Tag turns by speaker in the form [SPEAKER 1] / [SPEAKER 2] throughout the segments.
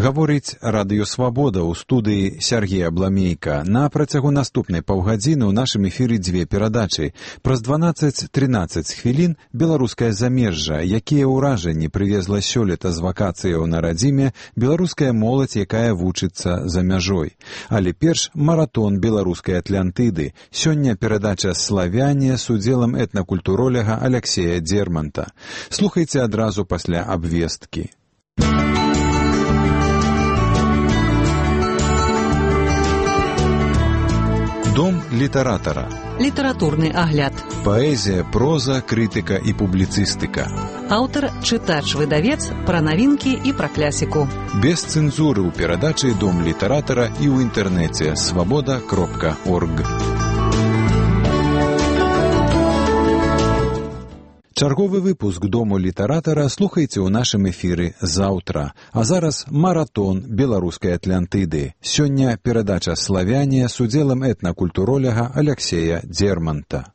[SPEAKER 1] Гаворыць Радыё Свабода ў студыі Сергей Абламейка. На працягу наступнай паўгадзіны ў нашым эфіры дзве перадачы. Праз 12-13 хвілін беларускае замежжа, якія ўражанні прывезла сёлета з вакацыяў на радзіме беларуская моладзь, якая вучыцца за мяжой. Але перш маратон беларускай Атлантыды. Сёння перадача «Славяне» з удзелам этнакультуроляга Аляксея Дзерманта. Слухайце адразу пасля абвесткі. Дом літаратара.
[SPEAKER 2] Літаратурны агляд.
[SPEAKER 1] Паэзія, проза, крытыка і публіцыстыка.
[SPEAKER 2] Аўтар, чытач-выдавец, пра навінкі і пра клясіку.
[SPEAKER 1] Без цэнзуры ў перадачы «Дом літаратара» і ў інтэрнэце свабода.орг. Чарговы выпуск «Дому літаратара» слухайце ў нашым эфіры заўтра. А зараз маратон беларускай Атлантыды. Сёння перадача «Славяне» з удзелам этнакультуроляга Аляксея Дзерманта.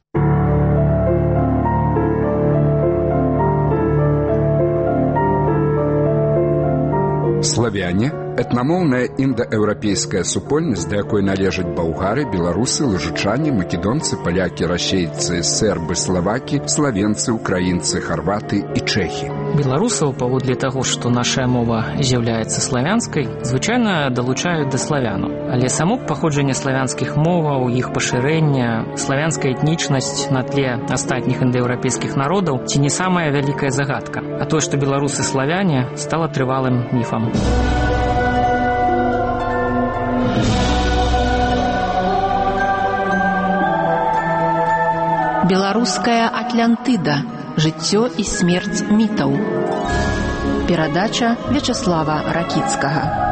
[SPEAKER 3] Славяне – этнамоўная індаеўрапейская супольнасць, да якой належаць балгары, беларусы, лужычане, македонцы, палякі, расейцы, сербы, славакі, славенцы, украінцы, харваты і чэхі.
[SPEAKER 4] Беларусаў, паводле таго, што наша мова з'яўляецца славянскай, звычайна далучаюць да славянаў. Але само паходжанне славянскіх моваў, іх пашырэнне, славянская этнічнасць на тле астатніх індаеўрапейскіх народаў ці не самая вялікая загадка. А тое, што беларусы славяне, стала трывалым міфам.
[SPEAKER 5] Беларуская Атлантыда. Жыццё і смерць мітаў. Перадача Вячаслава Ракіцкага.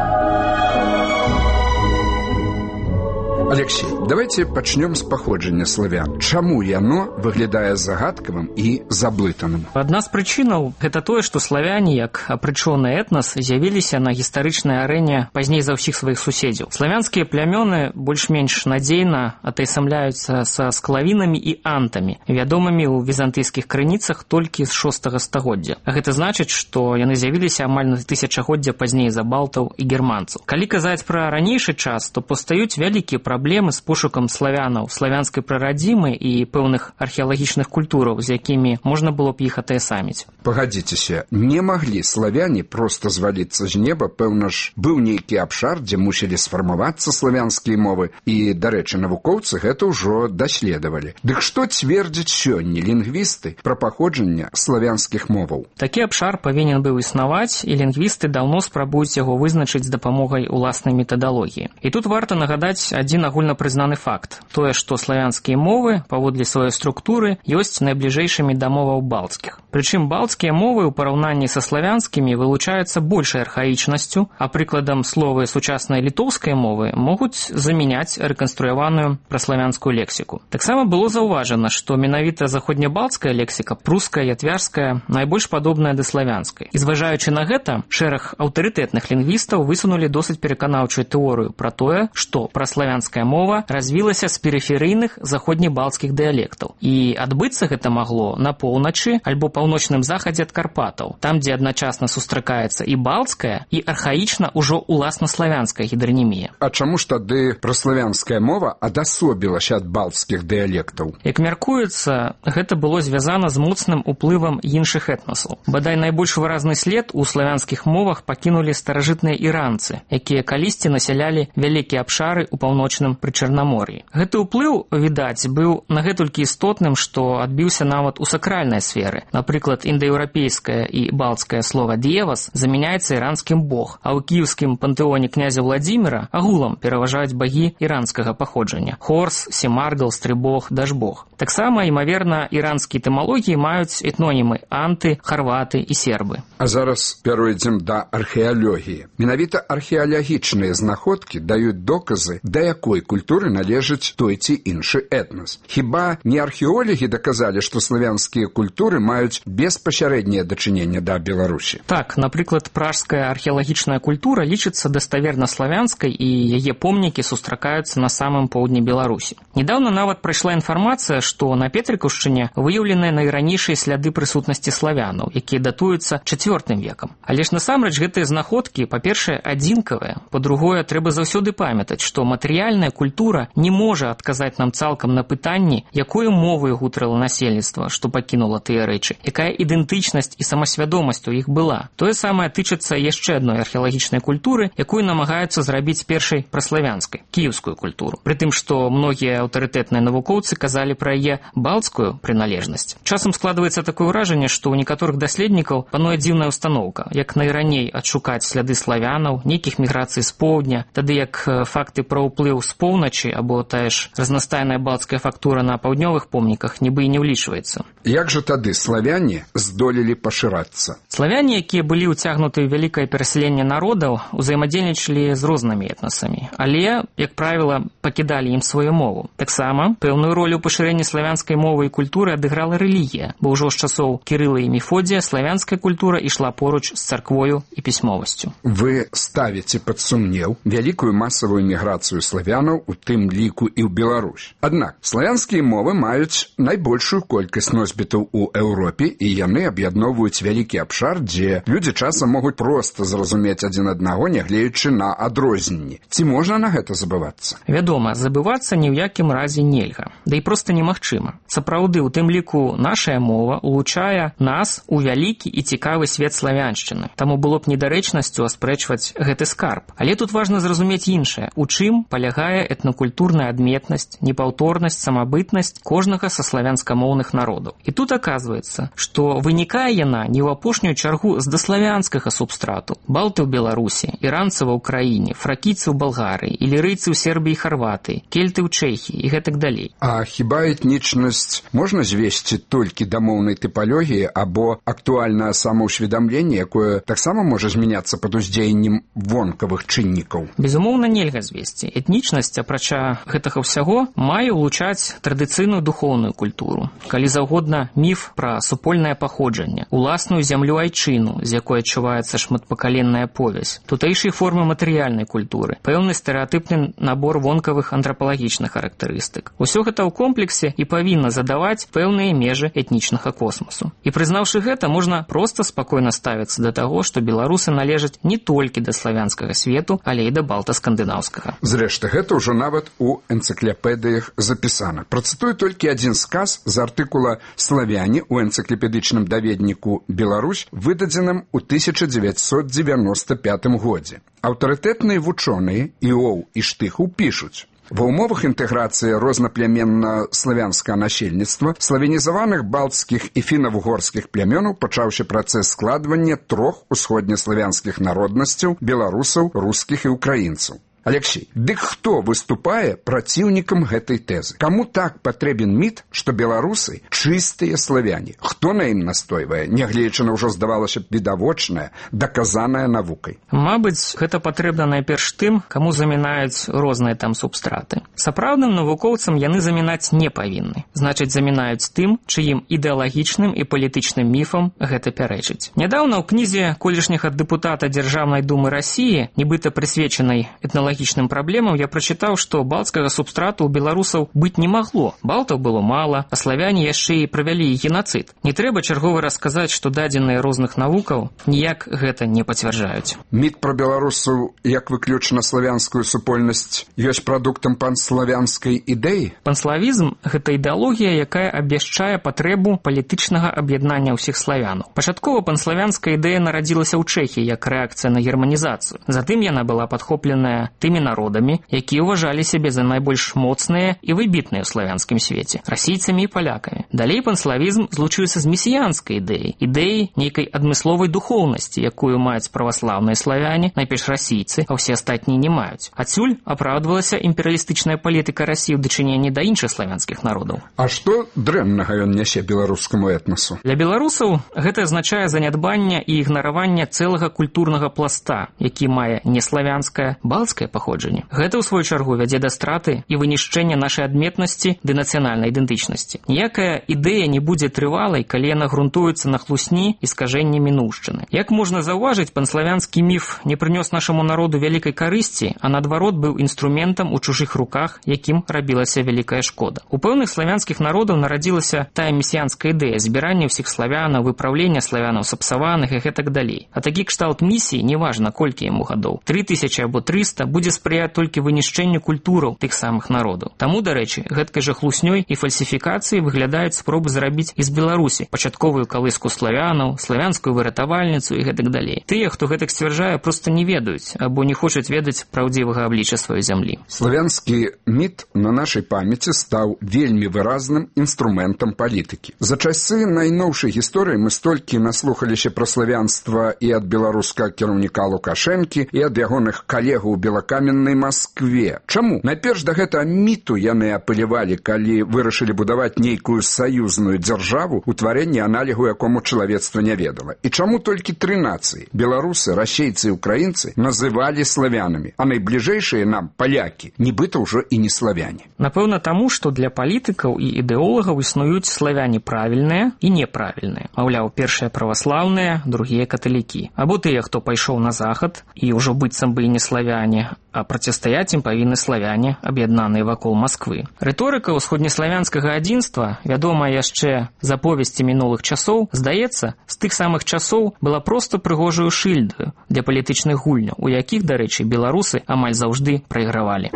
[SPEAKER 3] Алексей, давайте пачнём з паходжання славян. Чаму яно выглядае загадкавым і заблытаным?
[SPEAKER 4] Адна з прычынаў – гэта тое, што славяне, як апрычоны этнас, з'явіліся на гістарычнай арэне пазней за ўсіх сваіх суседзяў. Славянскія плямёны больш-менш надзейна атайсамляюцца са склавінамі і антамі, вядомымі ў візантыйскіх крыніцах толькі з 6 стагоддзя. А гэта значыць, што яны з'явіліся амаль на тысячагоддзя пазней за балтаў і германцаў. Калі казаць пра ранейшы час, то пастаюць вялікія праблемы з пошукам славянаў, славянскай прарадзімы і пэўных археалагічных культураў, з якімі можна было б іх атаясаміць.
[SPEAKER 3] Пагадзіцеся, не маглі славяне проста зваліцца з неба, пэўна ж, быў нейкі абшар, дзе мусілі сфармавацца славянскія мовы, і, дарэчы, навукоўцы гэта ўжо даследавалі. Дык што цвердзяць сёння лінгвісты пра паходжанне славянскіх моваў?
[SPEAKER 4] Такі абшар павінен быў існаваць, і лінгвісты даўно спрабуюць яго вызначыць з дапамогай уласнай метадалогіі. І тут варта нагадаць адзін агульнапрызнаны факт. Тое, што славянскія мовы, паводле сваёй структуры, ёсць найбліжэйшымі да моваў балцкіх. Прычым балцкія мовы ў параўнанні са славянскімі вылучаюцца большай архаічнасцю, а прыкладам словы сучаснай літоўскай мовы могуць замяняць рэканструяваную праславянскую лексіку. Таксама было заўважана, што менавіта заходнебалцкая лексіка, пруская і атвярская, найбольш падобная да славянскай. І зважаючы на гэта, шэраг аўтарытэтных лінгвістаў высунулі досыць пераканаўчую тэорыю пра тое, што праславянская мова развілася з перыферыйных заходнебалцкіх дыялектаў. І адбыцца гэта магло на поўначы альбо паўночным захадзе ад Карпатаў, там, дзе адначасна сустракаецца і балцкая, і архаічна ўжо уласнаславянская гідранімія.
[SPEAKER 3] А чаму ж тады праславянская мова адасобілася ад балцкіх дыялектаў?
[SPEAKER 4] Як мяркуецца, гэта было звязана з моцным уплывам іншых этнасаў. Бадай найбольш выразны след у славянскіх мовах пакінулі старажытныя іранцы, якія калісьці насялялі вялікія абшары ў паўночным прычарнамор'і. Гэты ўплыў, відаць, быў нагэтулькі істотным, што адбіўся нават у сакральнай сферы. Напрыклад, індаеўрапейскае і балцкае слова «д'евас» замяняецца іранскім «бог», а ў кіеўскім пантэоне князя Владзіміра агулам пераважаюць багі іранскага паходжання – Хорс, Семаргал, Стрыбог, Дажбог. Таксама, імаверна, іранскія этымалогіі маюць этнонімы анты, харваты і сербы.
[SPEAKER 3] А зараз перайдзем да археалогіі. Менавіта археалагічныя знаходкі даюць доказы, да якой якой культуры належыць той ці іншы этнас. Хіба не археолагі даказалі, што славянскія культуры маюць беспасярэдняе дачыненне да Беларусі?
[SPEAKER 4] Так, напрыклад, пражская археалагічная культура лічыцца даставерна славянскай, і яе помнікі сустракаюцца на самым поўдні Беларусі. Недаўна нават прайшла інфармацыя, што на Петрыкаўшчыне выяўленыя найранейшыя сляды прысутнасці славянаў, якія датуюцца IV векам. Але ж насамрэч гэтыя знаходкі, па-першае, адзінкавыя, па-другое, трэба заўсёды памятаць, што матэрыяльная культура не можа адказаць нам цалкам на пытанні, якою моваю гутарыла насельніцтва, што пакінула тыя рэчы, якая ідэнтычнасць і самасвядомасць у іх была. Тое самае тычыцца яшчэ адной археалагічнай культуры, якую намагаюцца зрабіць першай праславянскай, кіеўскую культуру. Прытым, што многія аўтарытэтныя навукоўцы казалі пра яе балцкую прыналежнасць. Часам складваецца такое ўражанне, што ў некаторых даследнікаў пануе дзіўная ўстаноўка, як найраней адшукаць сляды славянаў, нейкіх міграцый з поўдня, тады як факты пра ўплыў з поўначы або тая ж разнастайная балцкая фактура на паўднёвых помніках нібы і не ўлічваецца.
[SPEAKER 3] Як жа тады славяне здолелі пашырацца?
[SPEAKER 4] Славяне, якія былі ўцягнуты ў вялікае перасяленне народаў, узаемадзейнічалі з рознымі этнасамі, але, як правіла, пакідалі ім сваю мову. Таксама пэўную ролю ў пашырэнні славянскай мовы і культуры адыграла рэлігія, бо ўжо з часоў Кірыла і Мефодія славянская культура ішла поруч з царквою і пісьмовасцю.
[SPEAKER 3] Вы ставіце пад сумнеў вялікую масавую міграцыю славянаў, у тым ліку і ў Беларусь. Аднак, славянскія мовы маюць найбольшую колькасць носьбітаў у Еўропе, і яны аб'ядноўваюць вялікі абшар, дзе людзі часам могуць проста зразумець адзін аднаго, нягледзячы на адрозненні. Ці можна на гэта забывацца?
[SPEAKER 4] Вядома, забывацца ні ў якім разе нельга, да і проста немагчыма. Сапраўды, у тым ліку нашая мова улучае нас у вялікі і цікавы свет славяншчыны. Таму было б недарэчнасцю аспрэчваць гэты скарб. Але тут важна зразумець іншае, у чым палягае этнакультурная адметнасць, непаўторнасць, самабытнасць кожнага са славянскамоўных народаў. І тут аказваецца, што вынікае яна не ў апошнюю чаргу з даславянскага субстрату. Балты ў Беларусі, іранцы ва ўкраіне, фракійцы ў Балгарыі, ілірыйцы ў Сербіі і Харватыі, кельты ў Чэхіі і гэтак далей.
[SPEAKER 3] А хіба этнічнасць можна звесці толькі да моўнай тыпалогіі або актуальнае самаўсведамленне, якое таксама можа змяняцца пад уздзеяннем вонкавых чыннікаў?
[SPEAKER 4] Безумоўна, нельга звесці. Этнічнасць, апрача гэтага ўсяго, мае ўлучаць традыцыйную духоўную культуру. Калі заўгодна, міф пра супольнае паходжанне, уласную зямлю айчыну, з якой адчуваецца шматпакаленная повязь, тутэйшыя формы матэрыяльнай культуры, пэўны стэрэатыпны набор вонкавых антрапалагічных характарыстык. Усё гэта ў комплексе і павінна задаваць пэўныя межы этнічнага космасу. І прызнаўшы гэта, можна проста спакойна ставіцца да таго, што беларусы належаць не толькі да славянскага свету, але і да балта-скандынаўскага.
[SPEAKER 3] Зрэшты, гэта ўжо нават у энцыклапедыях запісана. Працытую толькі адзін сказ з артыкула «Славяне» у энцыклапедычным даведніку «Беларусь», выдадзеным у 1995 годзе. Аўтарытэтныя вучоныя Іоў і Штыхаў пішуць: ва ўмовах інтэграцыі рознаплеменно-славянскага насельніцтва славянізаваных балтскіх і фіна-вугорскіх плямёнаў пачаўся працэс складвання трох усходнеславянскіх народнасцяў – беларусаў, рускіх і украінцаў. Алексей, дык хто выступае праціўнікам гэтай тэзы? Каму так патрэбен міт, што беларусы чыстыя славяне? Хто на ім настойвае, нягледзячы на ўжо, здавалася б, відавочнае, даказанае навукай?
[SPEAKER 4] Мабыць, гэта патрэбна найперш тым, каму замінаюць розныя там субстраты. Сапраўдным навукоўцам яны замінаць не павінны. Значыць, замінаюць тым, чыім ідэалагічным і палітычным міфам гэта пярэчыць. Нядаўна ў кнізе колішняга дэпутата Дзяржаўнай думы Расіі, нібыта прысвечанай этналагічным праблемам, я прачытаў, што балцкага субстрату ў беларусаў быць не магло. Балтаў было мала, а славяне яшчэ і правялі генацыд. Не трэба чарговы расказаць, што дадзеныя розных навукаў ніяк гэта не пацвярджаюць.
[SPEAKER 3] Міт пра беларусаў як выключна славянскую супольнасць ёсць прадуктам панславянскай ідэі?
[SPEAKER 4] Панславізм – гэта ідэалогія, якая абвяшчае патрэбу палітычнага аб'яднання ўсіх славянаў. Пачаткова панславянская ідэя нарадзілася ў Чэхіі як рэакцыя на германізацыю. Затым яна была падхопленая тымі народамі, якія ўважалі сябе за найбольш моцныя і выбітныя ў славянскім свеце – расійцамі і палякамі. Далей панславізм злучыўся з месіянскай ідэяй нейкай адмысловай духоўнасці, якую маюць праваслаўныя славяне, найперш расійцы, а ўсе астатнія не маюць. Адсюль апраўдвалася імперыялістычная палітыка Расіі ў дачыненні да іншых славянскіх народаў.
[SPEAKER 3] А што дрэннага ён нясе беларускаму этнасу?
[SPEAKER 4] Для беларусаў гэта азначае занядбанне і ігнараванне цэлага культурнага пласта, які мае неславянскае, балцкае паходжанне. Гэта, ў сваю чаргу, вядзе да страты і вынішчэння нашай адметнасці ды нацыянальнай ідэнтычнасці. Ніякая ідэя не будзе трывалай, калі яна грунтуецца на хлусні і скажэнні мінуўшчыны. Як можна заўважыць, панславянскі міф не прынёс нашаму народу вялікай карысці, а наадварот быў інструментам у чужых руках, якім рабілася вялікая шкода. У пэўных славянскіх народаў нарадзілася тая месіянская ідэя збірання ўсіх славянаў, выпраўлення славянаў сапсаваных і гэтак далей. А такі кшталт місіі, неважна колькі яму гадоў, 3000 або 300, будзе спрыяць толькі вынішчэнню культураў тых самых народаў. Таму, дарэчы, гэткай жа хлуснёй і фальсіфікацыяй выглядаюць спробы зрабіць з Беларусі пачатковую калыску славянаў, славянскую выратавальніцу і гэтак далей. Тыя, хто гэтак сцвярджае, проста не ведаюць або не хочуць ведаць праўдзівага аблічча сваёй зямлі.
[SPEAKER 3] Славянскі міт на нашай памяці стаў вельмі выразным інструментам палітыкі. За часы найноўшай гісторыі мы столькі наслухаліся пра славянства і ад беларускага кіраўніка Лукашэнкі, і ад ягоных калегаў у белакаменнай Маскве. Чаму? Найперш да гэтага міту яны апелявалі, калі вырашылі будаваць нейкую саюзную дзяржаву, утварэнне аналігу якому чалавецтва не ведала. І чаму толькі 3 нацыі – беларусы, расейцы і украінцы – называлі славянамі, а найбліжэйшыя нам, палякі, нібыта ўжо і не славяне?
[SPEAKER 4] Напэўна, таму, што для палітыкаў і ідэолагаў існуюць славяне правільныя і неправільныя. Маўляў, першыя праваслаўныя, другія каталікі. Або тыя, хто пайшоў на захад і ўжо быццам бы і не славяне, а процістаяць ім павінны славяне, аб'яднаныя вакол Масквы. Рыторыка ўсходнеславянскага адзінства, вядомая яшчэ з аповесці мінулых часоў, здаецца, з тых самых часоў была проста прыгожаю шыльдаю для палітычных гульняў, у якіх, дарэчы, беларусы амаль заўжды прайгравалі.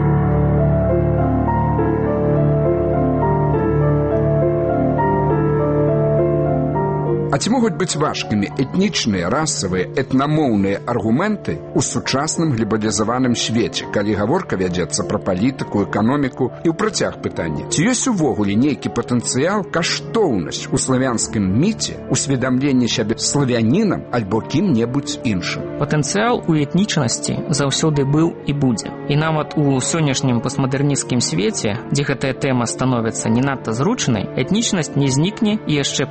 [SPEAKER 3] А ці могуць быць важкімі этнічныя, расавыя, этнамоўныя аргументы ў сучасным глобалізаваным свеце, калі гаворка вядзецца пра палітыку, эканоміку і ў працяг пытання? Ці ёсць увогуле нейкі патэнцыял, каштоўнасць у славянскім міце, усведамленне сябе славянінам альбо кім-небудзь іншым?
[SPEAKER 4] Патэнцыял у этнічнасці заўсёды быў і будзе. І нават у сённяшнім постмадэрнісцкім свеце, дзе гэтая тэма становіцца не надта зручнай, этнічнасць не знікне і яшчэ